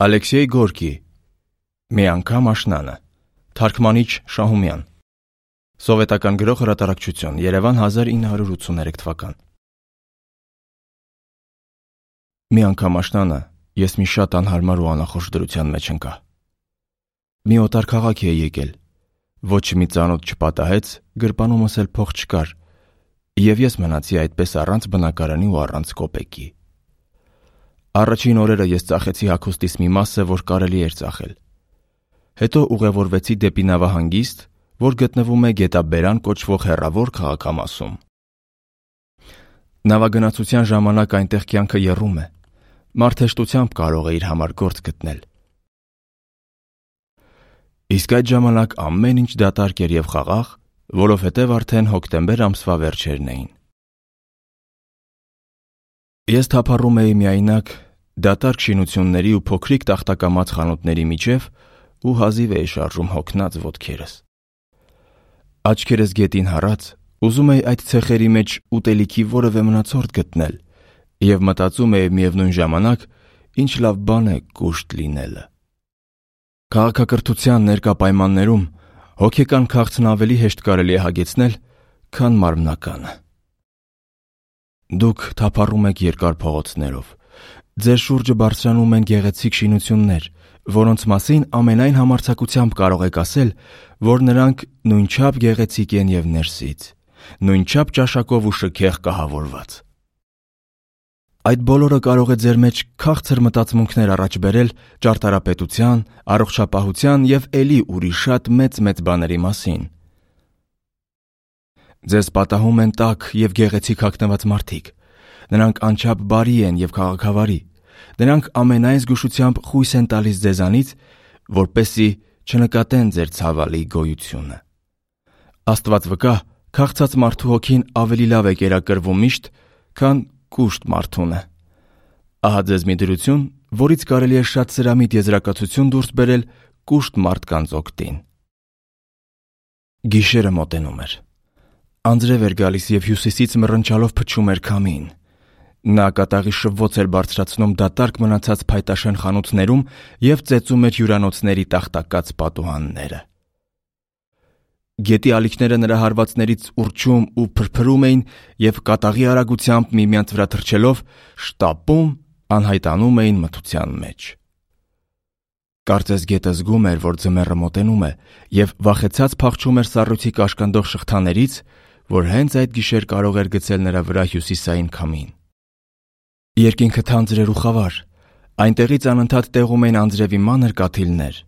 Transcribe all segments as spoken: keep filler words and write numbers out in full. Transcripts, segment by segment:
Ալեքսեյ Գորկի «Մի անգամ աշնանը», թարգմանիչ Շահումյան, Սովետական գրող հրատարակչություն, Երևան հազար ինը հարյուր ութսուներեք թվական։ Մի անգամ աշնանը ես մի շատ անհարմար ու անախորժ դրության մեջ ընկա։ Մի օտար քաղաք էի եկել, ոչ մի ծանոթ չպատահեց, գրպանումս էլ փող չկար, և ես մնացի այդպես առանց բնակարանի ու առանց կոպեկի։ Առաջին օրերը ես ծախեցի հագուստիս մի մասը, որ կարելի էր ծախել։ Հետո ուղևորվեցի դեպի նավահանգիստ, որ գտնվում է Գետաբերան կոչվող հեռավոր քաղաքամասում։ Նավագնացության ժամանակ այնտեղ կյանքը եռում է, մարդ հեշտությամբ կարող է իր համար գործ գտնել։ Իսկ այդ ժամանակ ամեն ինչ դատարկ էր և խաղաղ, որովհետև արդեն հոկտեմբեր ամսվա վերջերն էին։ Ես թափառում էի միայնակ դատարկ շինությունների ու փոքրիկ տախտակամած խանութների միջև ու հազիվ էի շարժում հոգնած ոտքերս։ Աչքերս գետին հառած, ուզում էի այդ ցեխերի մեջ ուտելիքի որևէ մնացորդ գտնել և մտածում էի միևնույն ժամանակ, ինչ լավ բան է կուշտ լինելը։ Քաղաքակրթության ներկա պայմաններում հոգեկան քաղցն ավելի հեշտ կարելի է հագեցնել, քան մարմնականը։ Դուք թափառում եք երկար փողոցներով։ Ձեր շուրջը բարձրանում են գեղեցիկ շինություններ, որոնց մասին ամենայն համարձակությամբ կարող եք ասել, որ նրանք նույնչափ գեղեցիկ են և ներսից, նույնչափ ճաշակով ու շքեղ կահավորված։ Այդ բոլորը կարող է ձեր մեջ քաղցր մտածմունքներ առաջ բերել ճարտարապետության, առողջապահության և էլի ուրիշ շատ մեծ-մեծ բաների մասին։ Ձեզ պատահում են տաք և գեղեցիկ հագնված մարդիկ։ Նրանք անչափ բարի են և քաղաքավարի։ Նրանք ամենայն զգուշությամբ խույս են տալիս ձեզանից, որպեսզի չնկատեն ձեր ցավալի գոյությունը։ Աստված վկա, քաղցած մարդու հոգին ավելի լավ է կերակրվում միշտ, քան կուշտ մարդունը։ Ահա ձեզ մի դրություն, որից կարելի է շատ սրամիտ եզրակացություն դուրս բերել կուշտ մարդկանց օգտին։ Գիշերը մոտենում էր։ Անձրև էր գալիս և հյուսիսից մռնչալով փչում էր քամին։ Նա կատաղի շվոց էր բարձրացնում դատարկ մնացած փայտաշեն խանութներում և ծեծում էր հյուրանոցների տախտակած պատուհանները։ Գետի ալիքները նրա հարվածներից ուռչում ու փրփրում էին և կատաղի արագությամբ միմյանց վրա թռչելով շտապում անհայտանում էին մթության մեջ։ Կարծես գետը զգում էր, որ ձմեռը մոտենում է և վախեցած փախչում էր սառույցի կաշկանդող շղթաներից, որ հենց այդ գիշեր կարող էր գցել նրա վրա հյուսիսային քամին։ Երկինքը թանձր էր ու խավար, այնտեղից անընդհատ տեղում էին անձրևի մանր կաթիլներ։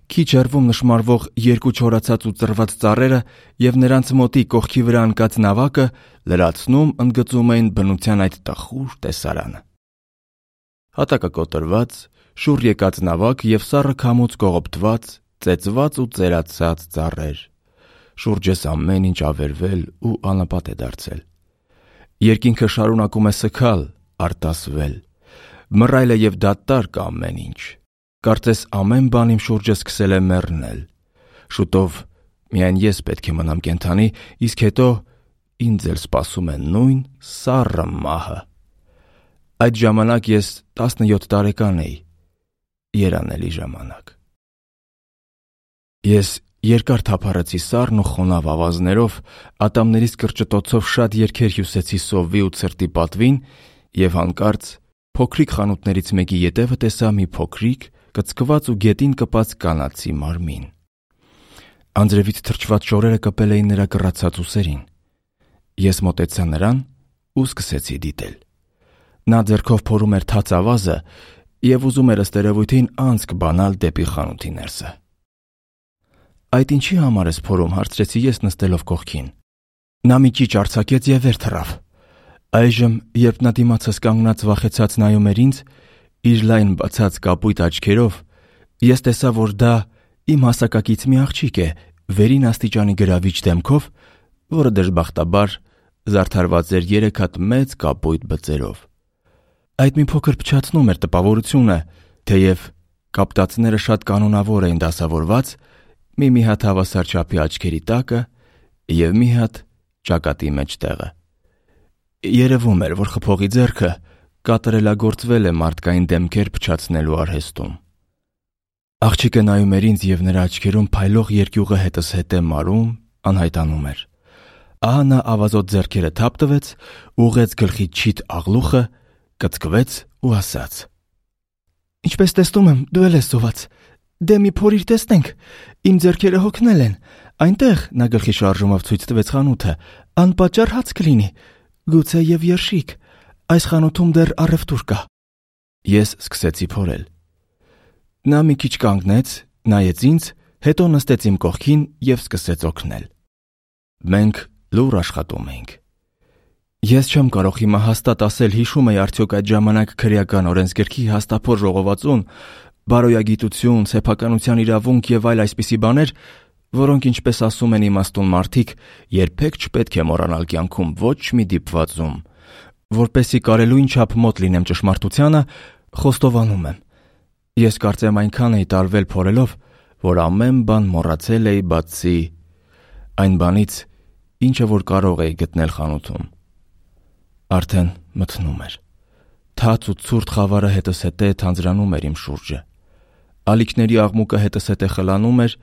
Քիչ հեռվում նշմարվող երկու չորացած ու ծռված ծառերը և նրանց մոտի կողքի վրա ընկած նավակը լրացնում ընդգծում էին բնության այդ տխուր տեսարանը։ Հատակը կոտրված, շուռ եկած նավակ և սառը քամուց կողոպտված, ծեծված ու ծերացած ծառեր։ Շուրջս ամեն ինչ ավերվել ու անապատ է դարձել։ Երկինքը շարունակում է սգալ, արտասվել։ Մռայլ է և դատարկ ամեն ինչ։ Կարծես ամեն բան իմ շուրջը սկսել է մեռնել։ Շուտով միայն ես պետք է մնամ կենդանի, իսկ հետո ինձ էլ սպասում է նույն սառը մահը։ Այդ ժամանակ ես տասնյոթ տարեկան էի։ Երանելի ժամանակ։ Ես երկար թափառեցի սառն ու խոնավ ավազներով, ատամներիս կրճտոցով շատ երգեր հյուսեցի սովի ու ցրտի պատվին և հանկարծ փոքրիկ խանութներից մեկի ետևը տեսա մի փոքրիկ, կծկված ու գետին կպած կանացի մարմին։ Անձրևից թրջված շորերը կպել էին նրա կռացած ուսերին։ Ես մոտեցա նրան ու սկսեցի դիտել։ Նա ձեռքով փորում էր թաց ավազը և ուզում էր ըստ երևույթին անցք բանալ դեպի խանութի ներսը։ «Այդ ինչի համար ես փորում», հարցրեցի ես նստելով կողքին։ Նա մի ճիչ արձակեց և վեր թռավ։ Այժմ, երբ նա դիմացս կանգնած վախեցած նայում էր ինձ, իր լայն բացած կապույտ աչքերով, ես տեսա, որ դա իմ հասակակից մի աղջիկ է, վերին աստիճանի գրավիչ դեմքով, որը դժբախտաբար զարդարված էր երեք հատ մեծ կապույտ բծերով։ Այդ մի փոքր փչացնում էր տպավորությունը, թեև կապտածները շատ կանոնավոր էին դասավորված, մի-մի հատ հավասար չափի աչքերի տակը և մի հատ ճակատի մեջտեղը։ Երևում էր, որ խփողի ձեռքը կատարելագործվել է մարդկային դեմքեր փչացնելու արհեստում։ Աղջիկը նայում էր ինձ և նրա աչքերում փայլող երկյուղը հետս հետ է մարում, անհայտանում էր։ Ահա նա ավազոտ ձեռքերը թափ տվեց, ուղղեց գլխի չիթ աղլուխը, կծկվեց ու ասաց. «Ինչպես տեսնում եմ, դու էլ ես սոված։ Դե մի փորիր տեսնենք, իմ ձեռքերը հոգնել են։ Այնտեղ», նա գլխի շարժումով ցույց տվեց խանութը, «անպատճառ հաց կլինի, գուցե և երշիկ։ Այս խանութում դեռ առևտուր կա»։ Ես սկսեցի փորել։ Նա մի քիչ կանգնեց, նայեց ինձ, հետո նստեց իմ կողքին և սկսեց օգնել։ Մենք լուռ աշխատում էինք։ Ես չեմ կարող հիմա հաստատ ասել հիշում էի արդյոք այդ ժամանակ քրեական օրենսգրքի հաստափոր ժողովածուն, բարոյագիտություն, սեփականության իրավունք և այլ այսպիսի բաներ, որոնք, ինչպես ասում են իմաստուն մարդիկ, երբեք չպետք է մոռանալ կյանքում ոչ մի դիպվածում։ Որպեսզի կարելույն չափ մոտ լինեմ ճշմարտությանը, խոստովանում եմ։ Ես կարծեմ այնքան էի տարվել փորելով, որ ամեն բան մոռացել էի բացի այն բանից, ինչը որ կարող էի գտնել խանութում։ Արդեն մթնում էր։ Թաց ու ցուրտ խավարը հետս հետե թանձրանում էր իմ շուրջը։ Ալիքների աղմուկը հետս հետե խլանում էր,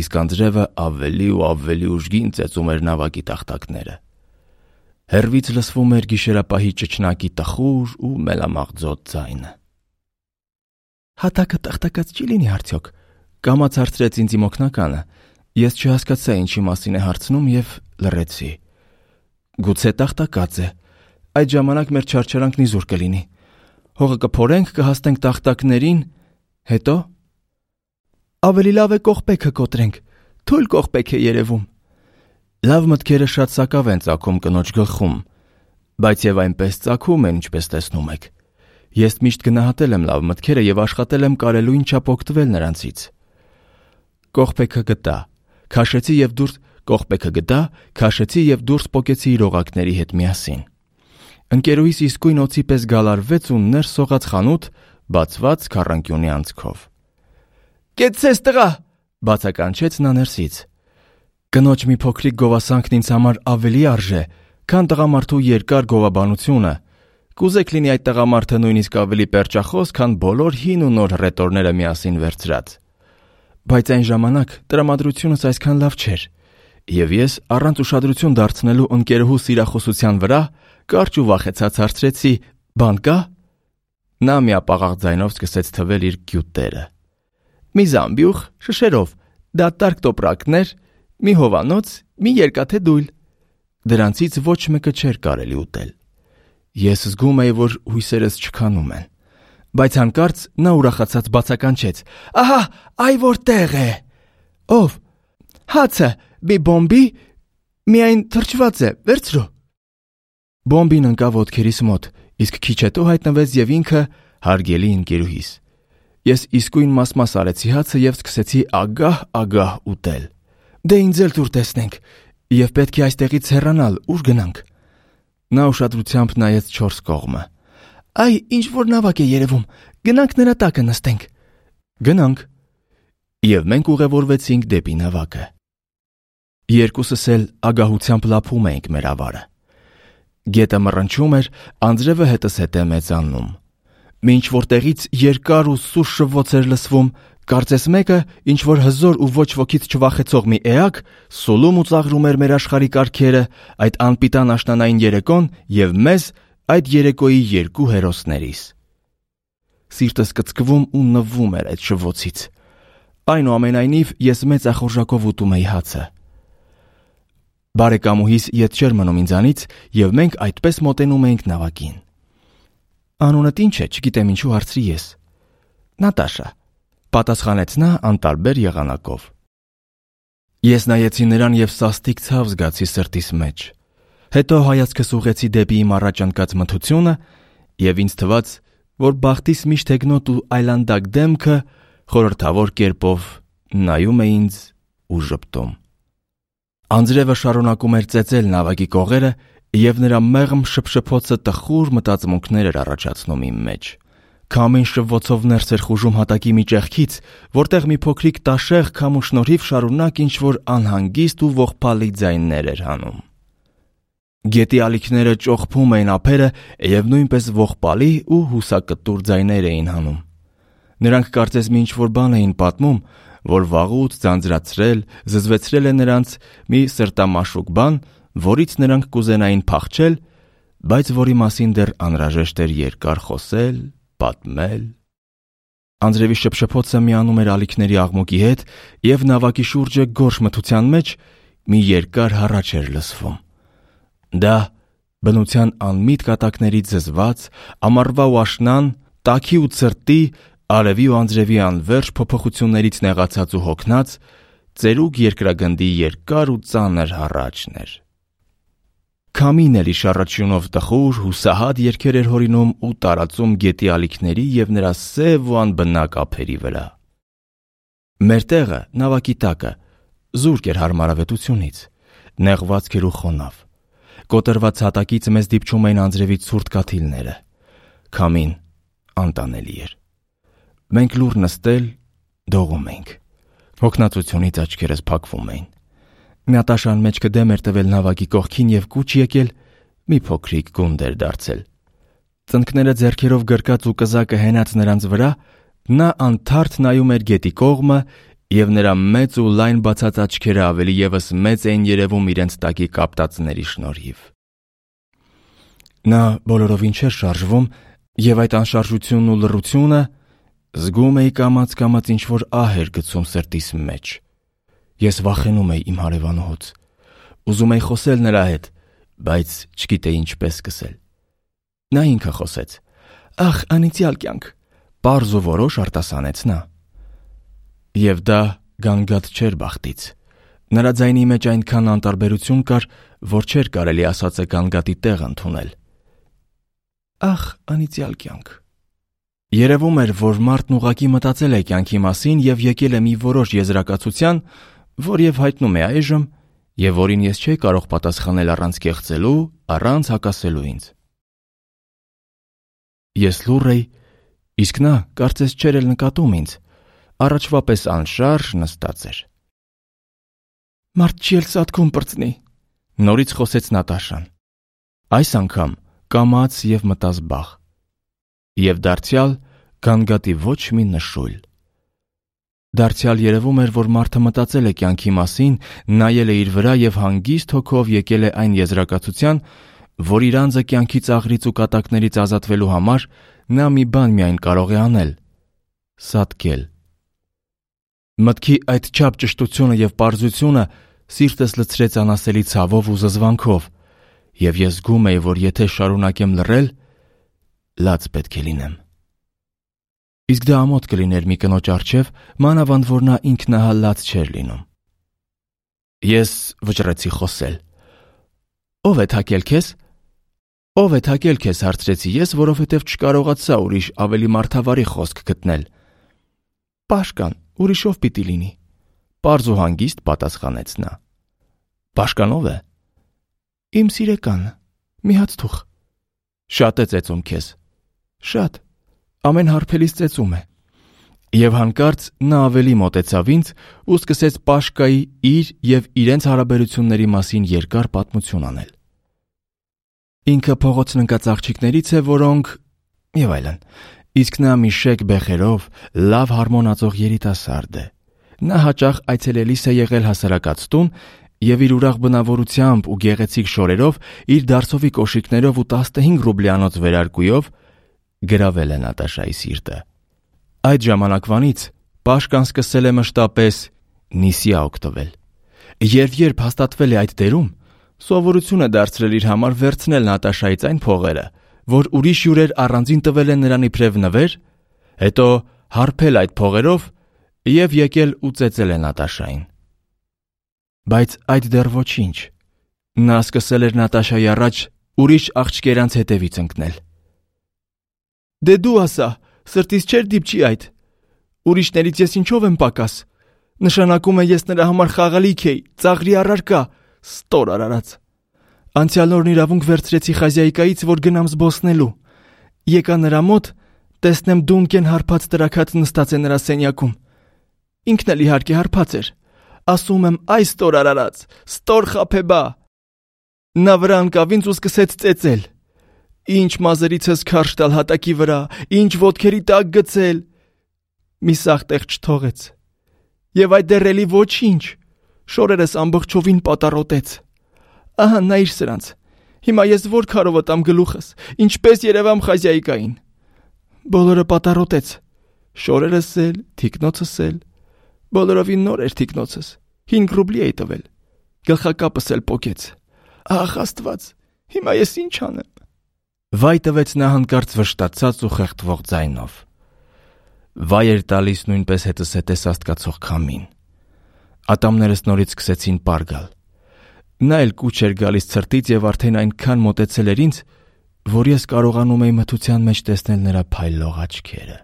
իսկ անձրևը ավելի ու ավելի ուժգին ծեծում էր նավակի տախտակները։ Հեռվից լսվում էր գիշերապահի ճչնակի տխուր ու մելամաղձոտ ձայնը։ «Հատակը տախտակած չի լինի արդյոք», կամաց հարցրեց ինձ իմ օգնականը։ Ես չհասկացա ինչի մասին է հարցնում և լռեցի։ «Գուցե տախտակած է։ Այդ ժամանակ մեր չարչարանքն իզուր կլինի։ Հողը կփորենք, կհաստենք տախտակներին, հետո…» «Ավելի լավ է կողպեքը կոտրենք, թույլ կողպեք է երևում»։ Լավ մտքերը շատ սակավ են ծագում կնոջ գլխում, բայց և այնպես ծագում են, ինչպես տեսնում եք։ Ես միշտ գնահատել եմ լավ մտքերը և աշխատել եմ կարելույն չափ օգտվել նրանցից։ Կողպեքը գտա, քաշեցի և դուրս կողպեքը գտա, քաշեցի և դուրս պոկեցի իր օղակների հետ միասին։ Ընկերուհիս իսկույն օձի պես գալարվեց ու ներս սողաց խանութ, բացված քառանկյունի անցքով։ «Կեցցես տղա», բացականչեց նա ներսից։ Կնոջ մի փոքրիկ գովասանքն ինձ համար ավելի արժե, քան տղամարդու երկար գովաբանությունը։ Կուզեք լինի այդ տղամարդը նույնիսկ ավելի պերճախոս, քան բոլոր հին ու նոր հռետորները միասին վերցրած։ Բայց այն ժամանակ տրամադրությունս այսքան լավ չէր, և ես առանց ուշադրություն դարձնելու ընկերուհու սիրախոսության վրա կարճ ու վախեցած հարցրեցի. «Բան կա»։ Նա միապաղաղ ձայնով սկսեց թվել իր գյուտերը։ «Մի զամբյուղ, շշերով, դատարկ տոպրակներ, մի հովանոց, մի երկաթե դույլ»։ Դրանցից ոչ մեկը չէր կարելի ուտել։ Ես զգում էի, որ հույսերս չքանում են։ Բայց հանկարծ նա ուրախացած բացականչեց. «Ահա, այ որտեղ է»։ «Ով»։ «Հացը, մի բոմբի, միայն թրջված է, վերցրու»։ Բոմբին ընկավ ոտքերիս մոտ, իսկ քիչ հետո հայտնվեց և ինքը հարգելի ընկերուհիս։ Ես իսկույն մաս-մաս արեցի հացը և սկսեցի ագահ-ագահ ուտել։ «Դե ինձ էլ տուր տեսնենք, և պետք է այստեղից հեռանալ, ուր գնանք»։ Նա ուշադրությամբ նայեց չորս կողմը։ «Այ, ինչ-որ նավակ է երևում, գնանք նրա տակը նստենք»։ Գնանք։ Եվ մենք ուղևորվեցինք դեպի նավակը։ Երկուսս էլ ագահությամբ լափում էինք մեր ավարը։ Գետը մռնչում էր, անձրևը հետս հետե մեծանում։ Մինչ որտեղից երկար ու սուր շվոց էր լսվում, կարծես մեկը, ինչ-որ հզոր ու ոչ ոքից չվախեցող մի էակ, սուլում ու ծաղրում էր մեր աշխարհի կարգերը, այդ անպիտան աշնանային երեկոն և մեզ, այդ երեկոյի երկու հերոսներիս։ Սիրտս կծկվում ու նվում էր այդ շվոցից։ Այնուամենայնիվ, ես մեծ ախորժակով ուտում էի հացը։ Բարեկամուհիս ետ չէր մնում ինձանից, և մենք այդպես մոտենում էինք նավակին։ «Անունդ ինչ է, չգիտեմ ինչու հարցրի ես»։ «Նատաշա», պատասխանեց նա անտարբեր եղանակով։ Ես նայեցի նրան և սաստիկ ցավ զգացի սրտիս մեջ։ Հետո հայացքս ուղղեցի դեպի իմ առաջ ընկած մթությունը, և ինձ թվաց, որ բախտիս միշտ հեգնոտ ու այլանդակ դեմքը խորհրդավոր կերպով նայում է ինձ ու ժպտում։ Անձրևը շարունակում էր ծեծել նավակի կողերը, և նրա մեղմ շփշփոցը տխուր մտածմունքներ էր առաջացնում իմ մեջ։ Քամին շվոցով ներս էր խուժում հատակի մի ճեղքից, որտեղ մի փոքրիկ տաշեղ քամու շնորհիվ շարունակ ինչ-որ անհանգիստ ու ողբալի ձայններ էր հանում։ Գետի ալիքները ճոխփում էին ափերը և նույնպես ողբալի ու հուսակտուր ձայներ էին հանում։ Նրանք կարծես մի ինչ-որ բան էին պատմում, որ վաղուց ձանձրացրել, զզվեցրել է նրանց մի սրտամաշուկ բան, որից նրանք կուզենային փախչել, բայց որի մասին դեռ անհրաժեշտ էր երկար խոսել, պատմել։ Անձրևի շփշփոցը միանում էր ալիքների աղմուկի հետ, և նավակի շուրջը գորշ մթության մեջ մի երկար հառաչ էր լսվում։ Դա բնության անմիտ կատակներից զզված, ամառվա ու աշնան, տաքի ու ցրտի, արևի ու անձրևի անվերջ փոփոխություններից նեղացած ու հոգնած, ծերուկ երկրագնդի երկար ու ծանր հառաչն էր։ Քամին էլ իր շառաչյունով տխուր, հուսահատ երգեր էր հորինում ու տարածում գետի ալիքների և նրա սև ու անբնակ ափերի վրա։ Մեր տեղը, նավակի տակը, զուրկ էր հարմարավետությունից, նեղվածք էր ու խոնավ։ Կոտրված հատակից մեզ դիպչում էին անձրևի ցուրտ կաթիլները։ Քամին անտանելի էր։ Մենք լուռ նստել, դողում էինք։ Հոգնածությունից աչքերս փակվում էին։ Նատաշան մեջքը դեմ էր տվել նավակի կողքին և կուչ եկել, մի փոքրիկ գունդ էր դարձել։ Ծնկները ձեռքերով գրկած ու կզակը հենած նրանց վրա, նա անթարթ նայում էր գետի կողմը, և նրա մեծ ու լայն բացած աչքերը ավելի ևս մեծ էին երևում իրենց տակի կապտածների շնորհիվ։ Նա բոլորովին չէր շարժվում, և այդ անշարժությունն ու լռությունը, զգում էի կամաց-կամաց ինչ-որ ահ էր գցում սրտիս մեջ։ Ես վախենում էի իմ հարևանուհուց։ Ուզում էի խոսել նրա հետ, բայց չգիտեի ինչպես սկսել։ Նա ինքը խոսեց. «Ախ, անիծյալ կյանք», պարզ ու որոշ արտասանեց նա։ Եվ դա գանգատ չէր բախտից։ Նրա ձայնի մեջ այնքան անտարբերություն կար, որ չէր կարելի ասածը գանգատի տեղ ընդունել։ «Ախ, անիծյալ կյանք»։ Երևում էր, որ մարդն ուղղակի մտածել է կյանքի մասին և եկել է մի որոշ եզրակացության, որ և հայտնում է այժմ, և որին ես չէի կարող պատասխանել առանց կեղծելու, առանց հակասելու ինձ։ Ես լուռ էի, իսկ նա կարծես չէր էլ նկատում ինձ, առաջվա պես անշարժ նստած էր։ «Մարդ չի էլ սատկում պրծնի», նորից խոսեց Նատաշան։ Այս անգամ կամաց և մտազբաղ։ Եվ դարձյալ գանգատի ոչ մի նշույլ։ Դարձյալ երևում էր, որ մարդը մտածել է կյանքի մասին, նայել է իր վրա և հանգիստ հոգով եկել է այն եզրակացության, որ իր անձը կյանքի ծաղրից ու կատակներից ազատվելու համար նա մի բան միայն կարող է անել՝ սատկել։ Մտքի այդչափ ճշտությունը և պարզությունը սիրտս լցրեց անասելի ցավով ու զզվանքով, և ես զգում էի, որ եթե շարունակեմ լռել, լաց պետք է լինեմ։ Իսկ դա ամոթ կլիներ մի կնոջ առջև, մանավանդ որ նա ինքնահա լաց չէր լինում։ Ես վճռեցի խոսել։ «Ո՞վ է թակել քեզ»։ «Ո՞վ է թակել քեզ», հարցրեցի ես, որովհետև չկարողացա ուրիշ ավելի մարդավարի խոսք գտնել։ «Պաշկան, ուրիշ ով պիտի լինի», պարզ ու հանգիստ պատասխանեց նա։ «Պաշկան ով է»։ «Իմ սիրեկանը, մի հաց թուխ»։ «Շատ է ծեծում քեզ»։ «Շատ, ամեն հարբելիս ծեծում է»։ Եվ հանկարծ նա ավելի մոտեցավ ինձ ու սկսեց Պաշկայի իր և իրենց հարաբերությունների մասին երկար պատմություն անել։ Ինքը փողոցն ընկած աղջիկներից է, որոնք… և այլն։ Իսկ նա մի շեկ բեխերով լավ հարմոնացող երիտասարդ է։ Նա հաճախ այցելելիս է եղել հասարակած տուն և իր ուրախ բնավորությամբ ու գեղեցիկ շորերով, իր դարսովի կոշիկներով ու տասնհինգ ռուբլյանոց վերարկուով գրավել է Նատաշայի սիրտը։ Այդ ժամանակվանից Պաշկան սկսել է մշտապես նիսյա օգտվել։ Երբ երբ հաստատվել է այդ դերում, սովորություն է դարձրել իր համար վերցնել Նատաշայից այն փողերը, որ ուրիշ հյուրեր առանձին տվել են նրան իբրև նվեր, հետո հարբել այդ փողերով և եկել ու ծեծել է Նատաշային։ Բայց այդ դեռ ոչինչ։ Նա սկսել էր Նատաշայի առաջ ուրիշ աղջկերանց հետևից ընկնել։ «Դե դու ասա, սրտիս չէր դիպչի այդ։ Ուրիշներից ես ինչով եմ պակաս։ Նշանակում է ես նրա համար խաղալիք էի, ծաղրի առարկա, ստոր արարած։ Անցյալ օրն իրավունք վերցրեցի Խազյայկայից, որ գնամ զբոսնելու։ Եկա նրա մոտ, տեսնեմ Դունկեն հարբած տրաքած նստած է նրա սենյակում։ Ինքն էլ իհարկե հարբած էր։ Ասում եմ, այ ստոր արարած, ստոր խաբեբա։ Նա վրա ընկավ ինձ ու սկսեց ծեծել։ Ինչ մազերից ես քարշ տալ հատակի վրա, ինչ ոտքերի տակ գցել։ մի սաղ տեղ չթողեց։ Եվ այդ դեռ էլի ոչինչ, շորերս ամբողջովին պատառոտեց։ Ահա նայիր սրանց, հիմա ես որ քարով տամ գլուխս, ինչպես երևամ Խազյայիկային։ Բոլորը պատառոտեց, շորերս էլ, թիկնոցս էլ, բոլորովին նոր էր թիկնոցս, հինգ ռուբլի էի տվել, գլխակապս էլ պոկեց։ Ահ Աստված, հիմա ես ինչ անեմ։ Վայ տվեց նա հանկարծ վշտացած ու խեղդվող ձայնով։ Վայ էր տալիս նույնպես հետս հետ աստկացող քամին։ Ատամներս նորից սկսեցին պար գալ։ Նա էլ կուչ էր գալիս ցրտից եւ արդեն այնքան մոտեցել էր ինձ, որ ես կարողանում էի մթության մեջ տեսնել նրա փայլող աչքերը։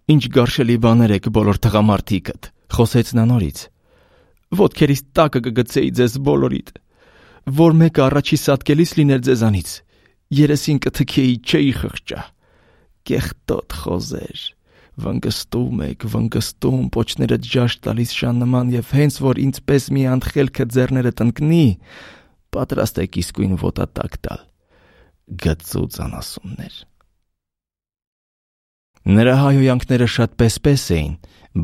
Ինչ գարշելի բաներ եք բոլոր տղամարդիկդ, խոսեց նա նորից։ Ոտքերիս տակը կգցեի ձեզ բոլորիդ, որ մեկը առաջի սատկելիս լիներ ձեզանից, երեսին կթքեի չէի խղճա։ Կեղտոտ խոզեր, վնգստում եք, վնգստում, պոչները ջաշ տալիս շան նման եւ հենց որ ինձպես մի անխելքը ձեռները տնկնի, պատրաստ եք իսկույն ոտատակ տալ։ Գծուծ անասուններ։ Նրա հայհոյանքները շատ պես-պես էին,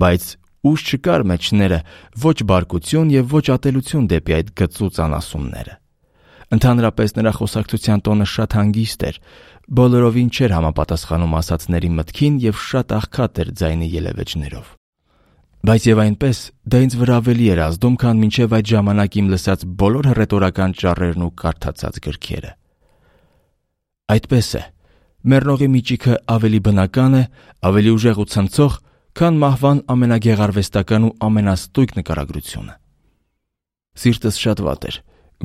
բայց ուժ չկար մեջները ոչ բարկություն եւ ոչ ատելություն դեպի այդ գծուծ անասունները։ Ընդհանրապես նրա խոսակցության տոնը շատ հանգիստ էր, բոլորովին չէր համապատասխանում ասածների մտքին եւ շատ աղքատ էր ձայնի ելևէջներով։ Բայց եւ այնպես դա ինձ վրա ավելի էր ազդում, քան մինչեւ այդ ժամանակ իմ լսած բոլոր հռետորական ճառերն ու կարդացած գրքերը։ Այդպես է, մեռնողի միջիքը ավելի բնական է, ավելի ուժեղ ու ցնցող, քան մահվան ամենագեղարվեստական ու ամենաստույգ նկարագրությունը։ Սիրտս շատ վատ էր,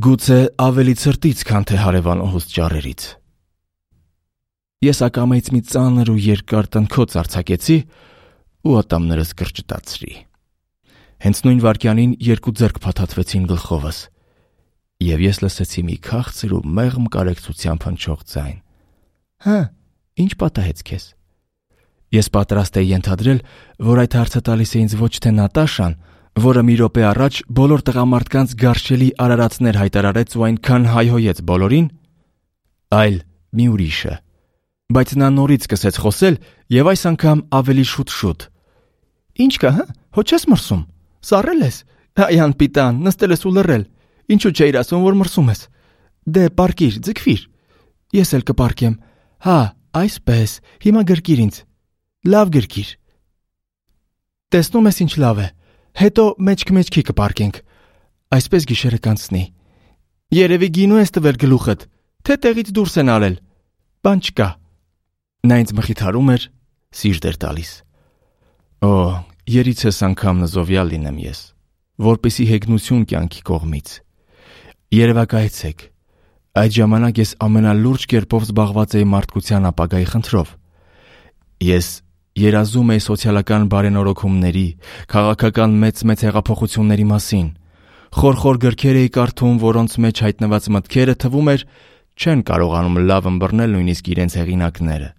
գուցե ավելի ցրտից, քան թե հարևանոհուս ճառերից։ Ես ակամայից մի ծանր ու երկար տնքոց արձակեցի ու ատամներս կրճտացրի։ Հենց նույն վայրկյանին երկու ձեռք փաթաթվեցին գլխովս, եւ ես լսեցի մի քաղցր ու մեղմ կարեկցությամբ հնչող ձայն։ Հա, ինչ պատահեց քեզ։ Ես պատրաստ էի ենթադրել, որ այդ հարցը տալիս է ինձ ոչ թե Նատաշան, որը մի րոպե առաջ բոլոր տղամարդկանց գարշելի արարածներ հայտարարեց ու այնքան հայհոյեց բոլորին, այլ մի ուրիշը։ Բայց նա նորից սկսեց խոսել եւ այս անգամ ավելի շուտ-շուտ։ Ինչ կա, հա? Հո չես մրսում։ Սառել ես։ Այ անպիտան, նստել ես ու լռել։ Ինչու չէիր ասում, որ մրսում ես։ Դե պարկիր, ձգվիր։ Ես էլ կպարկեմ։ Հա, այսպես, հիմա գրկիր ինձ։ Լավ գրկիր։ Տեսնում ես ինչ լավ է։ Հետո մեջք-մեջքի կպարկենք։ Այսպես գիշերը կանցնի։ Երևի գինու ես տվել գլուխդ, թե տեղից դուրս են արել։ Բան չկա։ Նա ինձ մխիթարում էր, սիրտ էր տալիս։ Օ, երիցս անգամ նզովյալ լինեմ ես, որպեսի հեգնություն կյանքի կողմից։ Երևակայեցեք։ Այդ ժամանակ ես ամենալուրջ կերպով զբաղված էի մարդկության ապագայի խնդրով։ Ես երազում էի սոցիալական բարենորոգումների, քաղաքական մեծ-մեծ հեղափոխությունների մասին։ Խորխոր գրքեր էի կարդում, որոնց մեջ հայտնված մտքերը թվում էր չեն կարողանում լավ ըմբռնել նույնիսկ իրենց հեղինակները։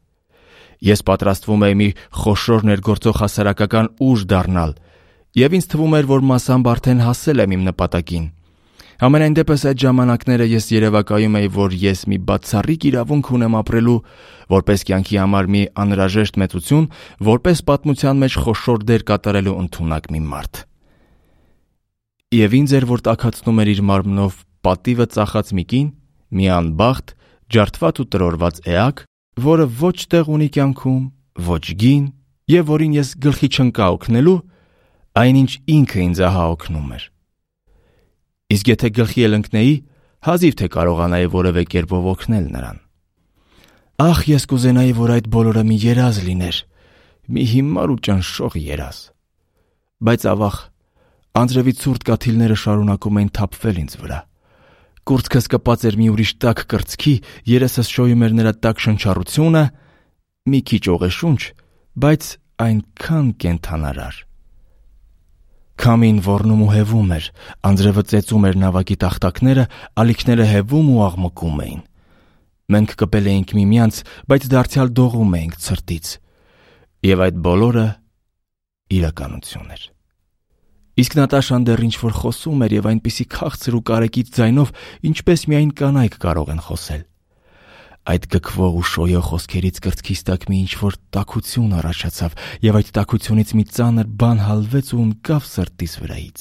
Ես պատրաստվում էի մի խոշոր ներգործող հասարակական ուժ դառնալ, եւ ինձ թվում էր, որ մասամբ արդեն հասել եմ իմ նպատակին։ Համենայն դեպս այդ ժամանակները ես երևակայում էի, որ ես մի բացառիկ իրավունք ունեմ ապրելու, որպես կյանքի համար մի անհրաժեշտ մեծություն, որպես պատմության մեջ խոշոր դեր կատարելու ընդունակ մի մարդ։ Եվ ինձ էր, որ տաքացնում էր իր մարմնով պատիվը ծախած մի կին, մի անբախտ, ջարդված ու տրորված էակ, որը ոչ տեղ ունի կյանքում, ոչ գին, եւ որին ես գլխի չընկա օգնելու, այնինչ ինքը ինձ ահա օգնում էր։ Իսկ եթե գլխի էլ ընկնեի, հազիվ թե կարողանայի որևէ կերպով օգնել նրան։ Ախ, ես կուզենայի, որ այդ բոլորը մի երազ լիներ, մի հիմար ու ճնշող երազ։ Բայց ավաղ, անձրևի ցուրտ կաթիլները շարունակում էին թափվել ինձ վրա։ Կուրծքս կպած էր մի ուրիշ տաք կրծքի, երեսս շոյում էր նրա տաք շնչառությունը, մի քիչ օղեշունչ, բայց այնքան կենդանարար։ Քամին ոռնում ու հևում էր, անձրևը ծեծում էր նավակի տախտակները, ալիքները հևում ու աղմկում էին։ Մենք կպել էինք միմյանց, բայց դարձյալ դողում էինք ցրտից։ Եվ այդ բոլորը իրականություն էր։ Իսկ Նատաշան դեռ ինչ-որ խոսում էր եւ այնպիսի քաղցր ու կարեկից ձայնով, ինչպես միայն կանայք կարող են խոսել։ Այդ գքվող ու շոյող խոսքերից կրծքիս տակ մի ինչ-որ տաքություն առաջացավ, եւ այդ տաքությունից մի ծանր բան հալվեց ու ընկավ սրտիս վրայից։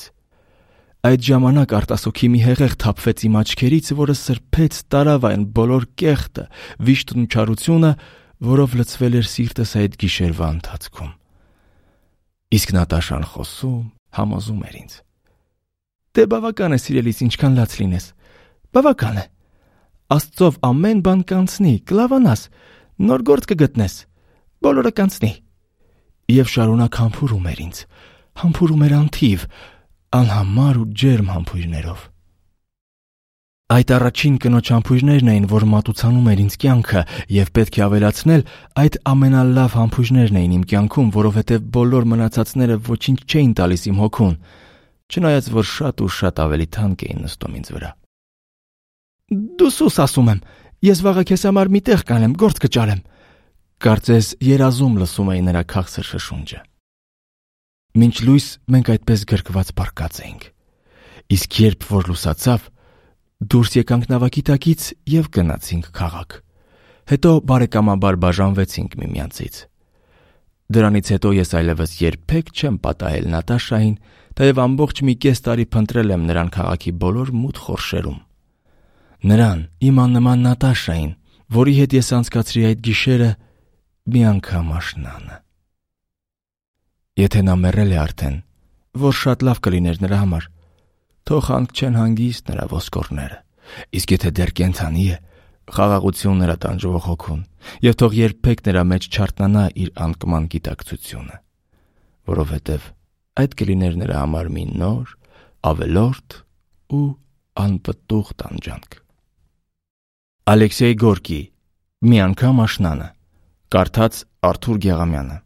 Այդ ժամանակ արտասոքի մի հեղեղ թափվեց իմ աչքերից, որը սրբեց, տարավ այն բոլոր կեղտը, վիշտն ու չարությունը, որով լցվել էր սիրտս այդ գիշերվա ընթացքում։ Իսկ Նատաշան խոսում, համոզում էր ինձ. «Դե բավական է, սիրելիս, ինչքան լաց լինես։ Բավական է։ Աստծով ամեն բան կանցնի, կլավանաս, նոր գործ կգտնես, բոլորը կանցնի»։ Եվ շարունակ համբուրում էր ինձ, համբուրում էր անթիվ, անհամար ու ջերմ համբույրներով։ Այդ առաջին կնոջ համբույրներն էին, որ մատուցանում էր ինձ կյանքը, եւ պետք է ավելացնել, այդ ամենալավ համբույրներն էին իմ կյանքում, որովհետեւ բոլոր մնացածները ոչինչ չէին տալիս իմ հոգուն, չնայած որ շատ ու շատ ավելի թանկ էին նստում ինձ վրա։ «Դու սուս ասում եմ, ես վաղը քեզ համար մի տեղ կանեմ, գործ կճարեմ», կարծես երազում լսում էի նրա քաղցր շշունջը։ Մինչ լույս մենք այդպես գրկված պառկած էինք, իսկ երբ որ լուսացավ, դուրս եկանք նավակի տակից եւ գնացինք քաղաք։ Հետո բարեկամաբար բաժանվեցինք միմյանցից։ Դրանից հետո ես այլևս երբեք չեմ պատահել Նատաշային, թեև ամբողջ մի կես տարի փնտրել եմ նրան քաղաքի բոլոր մութ խորշերում։ Նրան, իմ աննման Նատաշային, որի հետ ես անցկացրի այդ գիշերը, մի անգամ աշնանը։ Եթե նա մեռել է արդեն, որ շատ լավ կլիներ նրա համար, թող հանք չեն հանգիստ նրա ոսկորները, իսկ եթե դեռ կենդանի է, խաղաղություն նրա տանջող հոգուն, եւ թող երբեք նրա մեջ չարտնանա իր անկման գիտակցությունը, որովհետեւ այդ կլիներ նրա համար մի նոր, ավելորդ ու անպտուղ տանջանք։ Ալեքսեյ Գորկի «Մի անգամ աշնանը», կարդաց Արթուր Գեղամյանը։